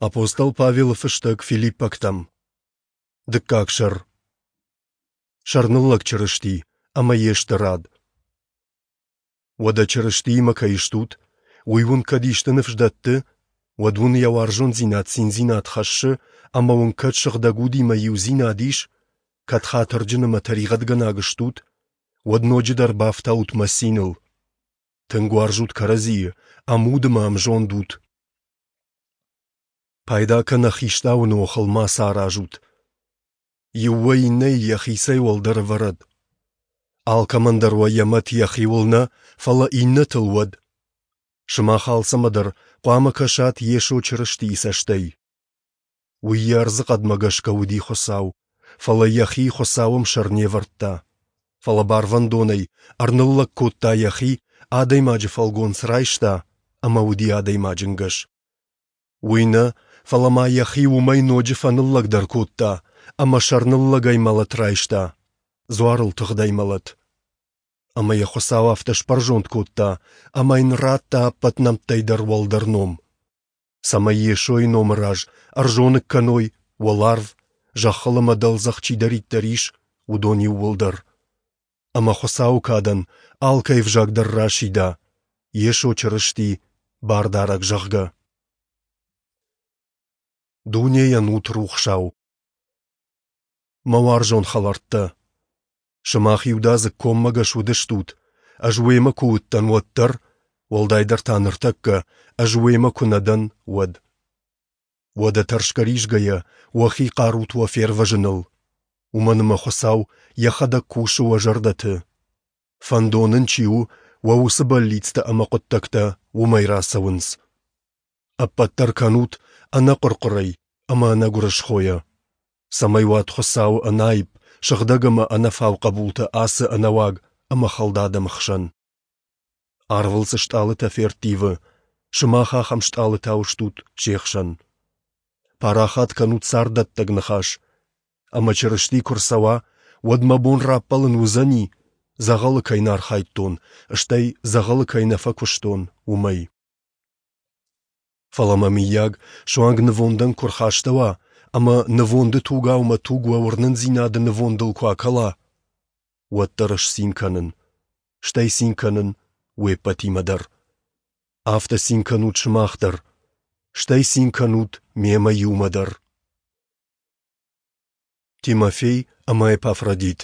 Апостол Павелы фыстӕг Филиппӕгтӕм. Дыккаг сӕр. Сӕрныллӕг Чырысти ӕмӕ йе стырад. Уӕдӕ Чырыстиимӕ кӕй стут, уый уын кӕд исты ныфс дӕтты, уӕд уын йӕ уарзондзинад циндзинад хӕссы ӕмӕ уын кӕд Сыгъдӕг Удимӕ иудзинад ис, кӕд хатырджын ӕмӕ тӕригъӕдгӕнаг стут, уӕд ноджыдӕр бафтаут мӕ циныл. Тынг уарзут кӕрӕдзийы, ӕмуд ӕмӕ ӕмзонд ут. Пайда кӕнӕ хистауыны охыл мацы аразут. Иу уӕ иннӕйы йӕхицӕй уӕлдӕр ӕвӕрӕд. Алкӕмӕн дӕр уӕ йӕ мӕт йӕхиуыл нӕ, фӕлӕ иннӕтыл уӕд. Сымах алцӕмӕ дӕр хъуамӕ кӕсат Йесо Чырыстийы цӕстӕй. Уый йӕ ӕрдзыхъӕдмӕ гӕсгӕ уыди Хуыцау, фӕлӕ йӕхи Хуыцауы ӕмсӕр не вӕрдта. Фӕлӕ барвӕндонӕй ӕрныллӕг кодта йӕхи, адӕймаджы фӕлгонц райста ӕмӕ уыди адӕймаджы нгӕс. Уый нӕ, фӕлӕ ма йӕхи уымӕй ноджы фӕныллӕгдӕр кодта ӕмӕ сӕрныллӕгӕй мӕлӕт райста, дзуарыл тыгъдӕй мӕлӕт. Ӕмӕ йӕ Хуыцау афтӕ сбӕрзонд кодта, ӕмӕ йын радта ӕппӕт нӕмттӕй дӕр уӕлдӕр ном, цӕмӕй Йесойы номы раз ӕрзоныг кӕной уӕларв, зӕххыл ӕмӕ дӕлдзӕх чидӕриддӕр ис, уыдон иууылдӕр. Ӕмӕ Хуыцауы кадӕн алкӕй ӕвзаг дӕр расида, Йесо Чырысти Бардарӕг, зӕгъгӕ. Дунейӕн ут рухсау. Мӕ уарзон хӕлӕрттӕ, сымах иудадзыг коммӕгӕс уыдыстут, ӕз уемӕ куы уыдтӕн, уӕд дӕр, уӕлдайдӕр та ныртӕккӕ, ӕз уемӕ куы нӕ дӕн, уӕд. Уӕдӕ тӕрсгӕ-ризгӕйӕ уӕхи хъарут уӕ фервӕзыныл, уымӕн ӕмӕ Хуыцау йӕхӕдӕг кусы уӕ зӕрдӕты. Фӕндон ын чи у, уӕ уыцы бӕллицтӕ ӕмӕ хъуыддӕгтӕ уымӕй рацӕуынц. Ӕппӕт дӕр кӕнут ӕнӕхъуыр-хъуырӕй ӕмӕ ӕнӕгуырысхойӕ, цӕмӕй уат Хуыцауы ӕнаипп, сыгъдӕг ӕмӕ ӕнӕфау хъӕбултӕ ацы ӕнӕуаг ӕмӕ хӕлд адӕмы хсӕн. Арвыл цы стъалытӕ ферттивы, сымах ахӕм стъалытау стут се хсӕн. Парахат кӕнут царддӕттӕг ныхас, ӕмӕ Чырысти куы рцӕуа, уӕд мӕ бон раппӕлын уыдзӕни, дзӕгъӕлы кӕй нӕ архайдтон, стӕй дзӕгъӕлы кӕй нӕ фӕкуыстон, уымӕй. Фӕлӕ мӕ, мыййаг, суанг нывондӕн куы рхастӕуа ӕмӕ нывонды тугау мӕ туг уӕ уырнындзинады нывондыл куы акӕла, уӕддӕр ӕз цин кӕнын, стӕй цин кӕнын уе ппӕтимӕ дӕр. Афтӕ цин кӕнут сымах дӕр, стӕй цин кӕнут мемӕ иумӕ дӕр. Тимофей ӕмӕ Эпафродит.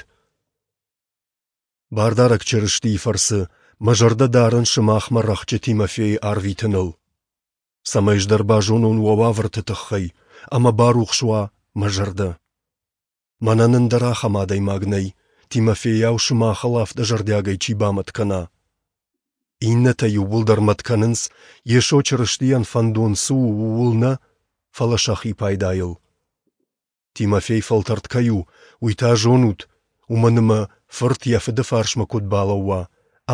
Бардарӕг Чырыстийы фӕрцы мӕ зӕрдӕ дарын сымахмӕ рӕхджы Тимофейы арвитыныл, цӕмӕй ӕз дӕр базонон уӕ уавӕрты тыххӕй ӕмӕ барухс уа мӕ зӕрдӕ. Мӕнӕн ӕндӕр ахӕм адӕймаг нӕй, Тимофейау сымахыл афтӕ зӕрдиагӕй чи бамӕт кӕна. Иннӕтӕ иууылдӕр мӕт кӕнынц, Йесо Чырыстийӕн фӕндон цы у, ууыл нӕ, фӕлӕ сӕхи пайдайыл. Тимофей фӕлтӕрд кӕй у, уый та зонут, уымӕн ӕмӕ фырт йӕ фыды фарсмӕ куыд балӕууа,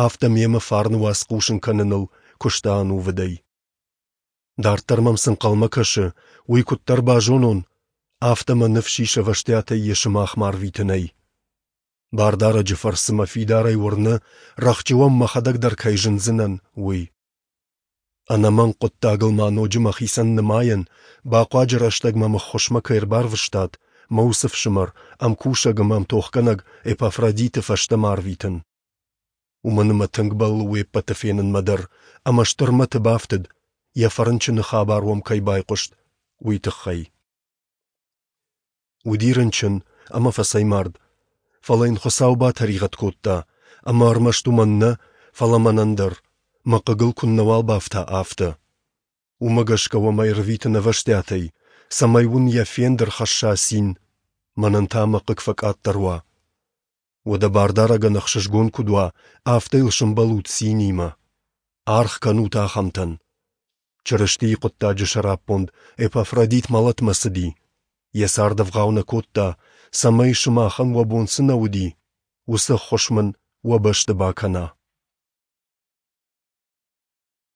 афтӕ мемӕ фарны уац хъусын кӕныныл куыста ӕнувыдӕй. Дарддӕр мӕм цы нхъӕлмӕ кӕсы, уый куыддӕр базонон, афтӕ мӕ ныфс ис ӕвӕстиатӕй йӕ сымахмӕ арвитынӕй. Бардарӕджы фӕрцы мӕ фидарӕй уырны, рӕхджы уӕм мӕхӕдӕг дӕр кӕй зындзынӕн, уый. Ӕнӕмӕнг хъуыддагыл ма ноджы мӕхицӕн нымайӕн, бахъуаджы рӕстӕг мӕм ӕххуысмӕ кӕй ӕрбарвыстат, мӕ уыцы фсымӕр, ӕмкусӕг ӕмӕ ӕмтохгӕнӕг Эпафродиты фӕстӕмӕ арвитын. Уымӕн ӕмӕ тынг бӕллы уе ппӕты фенынмӕ дӕр ӕмӕ стыр мӕты бафтыд, йӕ фӕрынчыны хабар уӕм кӕй байхъуыст, уый тыххӕй. Уыди рынчын ӕмӕ фӕцӕймард, фӕлӕ йын Хуыцау батӕригъӕд кодта, ӕмӕ ӕрмӕст уымӕн нӕ, фӕлӕ мӕнӕн дӕр, мӕ хъыгыл куыннӕуал бафта, афтӕ. Уымӕ гӕсгӕ уӕм ӕрвитын ӕвӕстиатӕй, цӕмӕй уын йӕ фенд ӕрхӕсса цин, мӕнӕн та мӕ хъыг фӕкъаддӕр уа. Уӕдӕ Бардарӕгӕн ӕхсызгон куыд уа, афтӕ йыл сӕмбӕлут цинимӕ. Аргъ кӕнут ахӕмтӕн. Чырыстийы хъуыддаджы сӕраппонд Эпафродит мӕлӕтмӕ цыди, йӕ цард ӕвгъау нӕ кодта, цӕмӕй сымахӕн уӕ бон цы нӕ уыди, уыцы ӕххуыс мын уӕ бӕсты бакӕна.